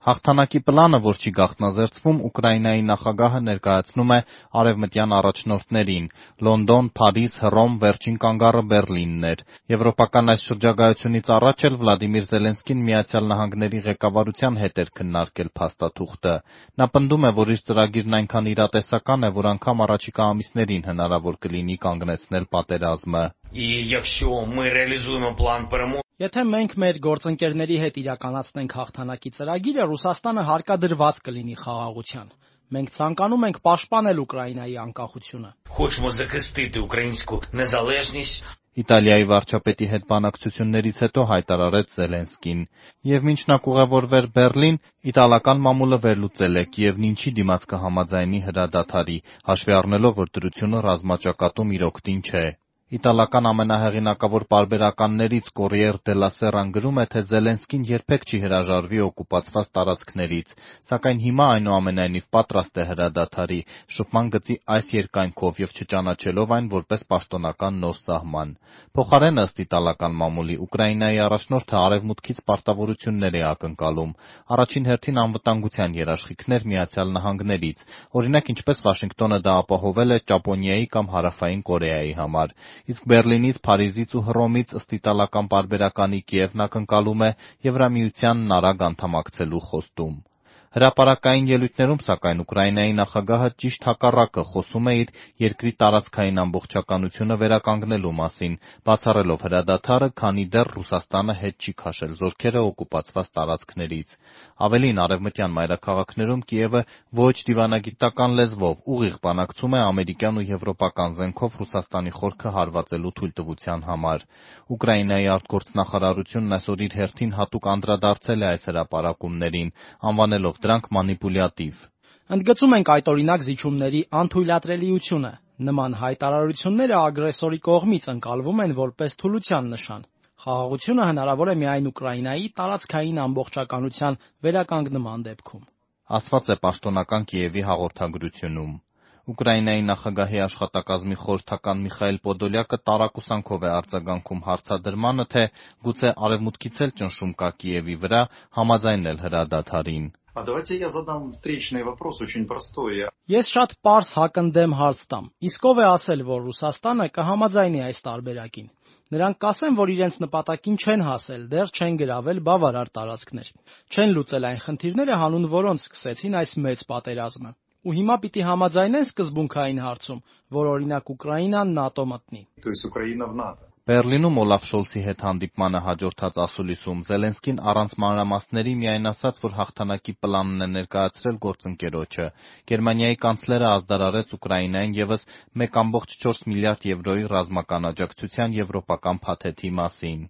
Հաղթանակի պլանը, որ չի գաղտնազերծվում, Ուկրաինայի նախագահը ներկայացնում է արևմտյան առաջնորդներին՝ Լոնդոն, Փարիզ, Հռոմ, վերջին կանգառը Բեռլինն էր։ Եվրոպական այս շրջագայությունից առաջ էլ Վլադիմիր Զելենսկին Միացյալ Նահանգների ղեկավարության հետ էր քննարկել փաստաթուղթը։ Նա պնդում է, որ իր ծրագիրն այնքան իրատեսական է, որ անգամ առաջիկա ամիսներին հնարավոր կլինի կանգնեցնել պատերազմը։ Եթե մենք մեր գործընկերների հետ իրականացնենք հաղթանակի ծրագիրը, Ռուսաստանը հարկադրված կլինի խաղաղության։ Մենք ցանկանում ենք պաշտպանել Ուկրաինայի անկախությունը։ Իտալիայի վարչապետի հետ բանակցություններից հետո հայտարարեց Զելենսկին։ Եվ մինչ նա կուղևորվեր Բեռլին, իտալական մամուլը վերլուծել է Կիևն ինչի դիմաց կհամաձայնի հրադադարի, հաշվի առնելով, որ դրությունը ռազմաճակատում իր օգտին չէ։ Իտալական ամենահեղինակավոր պարբերականներից Կորիեր դելա Սերան գրում է, թե Զելենսկին երբեք չի հրաժարվի օկուպացված տարածքներից, սակայն հիմա այնուամենայնիվ պատրաստ է հրադադարի, շփման գծի այս երկայնքով և չճանաչելով այն որպես պաշտոնական նոր սահման։ Փոխարենը, ըստ իտալական մամուլի, Ուկրաինայի առաջնորդը արևմուտքից պարտավորություններ է ակնկալում, առաջին հերթին անվտանգության երաշխիքներ Միացյալ Նահանգներից, օրինակ ինչպես Վաշինգտոնը դա ապահովել է Ճապոնիայի կամ Հարավային Կորեայի համար, իսկ Բեռլինից, Փարիզից ու Հռոմից, ըստ իտալական պարբերականի, Կիևն ակնկալում է Եվրամիությանն արագ անդամակցելու խոստում։ Հրապարակային ելույթներում, սակայն, Ուկրաինայի նախագահը ճիշտ հակառակը խոսում է իր երկրի տարածքային ամբողջականությունը վերականգնելու մասին, բացառելով հրադադարը, քանի դեռ Ռուսաստանը հետ չի քաշել զորքերը օկուպացված տարածքներից։ Ավելին, արևմտյան մայրաքաղաքներում Կիևը ոչ դիվանագիտական լեզվով ուղիղ բանակցում է ամերիկյան ու եվրոպական զենքով Ռուսաստանի խորքը հարվածելու թույլտվության համար։ Ուկրաինայի արտգործնախարարությունն այսօր իր հերթին հատուկ անդրադարձել է այս հրապարակումներին, անվանելով դրանք մանիպուլյատիվ։ Ընդգծում ենք այդօրինակ զիջումների անթույլատրելիությունը։ Նման հայտարարությունները ագրեսորի կողմից ընկալվում են որպես թուլության նշան։ Խաղաղությունը հնարավոր է միայն Ուկրաինայի տարածքային ամբողջականության վերականգնման դեպքում, ասված է պաշտոնական Կիևի հաղորդագրությունում։ Ուկրաինայի նախագահի աշխատակազմի խորհրդական Միխայիլ Պոդոլյակը տարակուսանքով է արձագանքում հարցադրմանը, թե գուցե արևմուտքից էլ ճնշում կա Կիևի վրա համաձայնել հրադադարին։ Ես շատ պարզ հակընդդեմ հարց տամ. իսկ ով է ասել, որ Ռուսաստանը կհամաձայնի այս տարբերակին։ Նրանք կասեն, որ իրենց նպատակին չեն հասել, դեռ չեն գրավել բավարար տարածքներ, չեն լուծել այն խնդիրները, հանուն որոնց սկսեցին այս մեծ պատերազմը։ Ու հիմա պիտի համաձայնեն սկզբունքային հարցում, որ օրինակ Ուկրաինան ՆԱՏՕ մտնի։ Բեռլինում Օլաֆ Շոլցի հետ հանդիպմանը հաջորդած ասուլիսում Զելենսկին առանց մանրամասների միայն ասաց, որ հաղթանակի պլանն է ներկայացրել գործընկերոջը։ Գերմանիայի կանցլերը ազդարարեց Ուկրաինային ևս 1,4 միլիարդ եվրոյի ռազմական աջակցության եվրոպական փաթեթի մասին։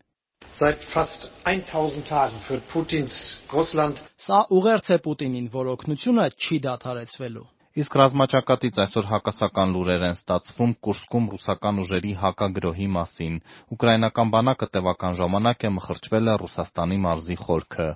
Սա ուղերձ է Պուտինին, որ օգնությունը չի դադարեցվելու։ Իսկ ռազմաճակատից այսօր հակասական լուրեր են ստացվում Կուրսկում ռուսական ուժերի հակագրոհի մասին։ Ուկրաինական բանակը տևական ժամանակ է մխրճվել է Ռուսաստանի մարզի խորքը։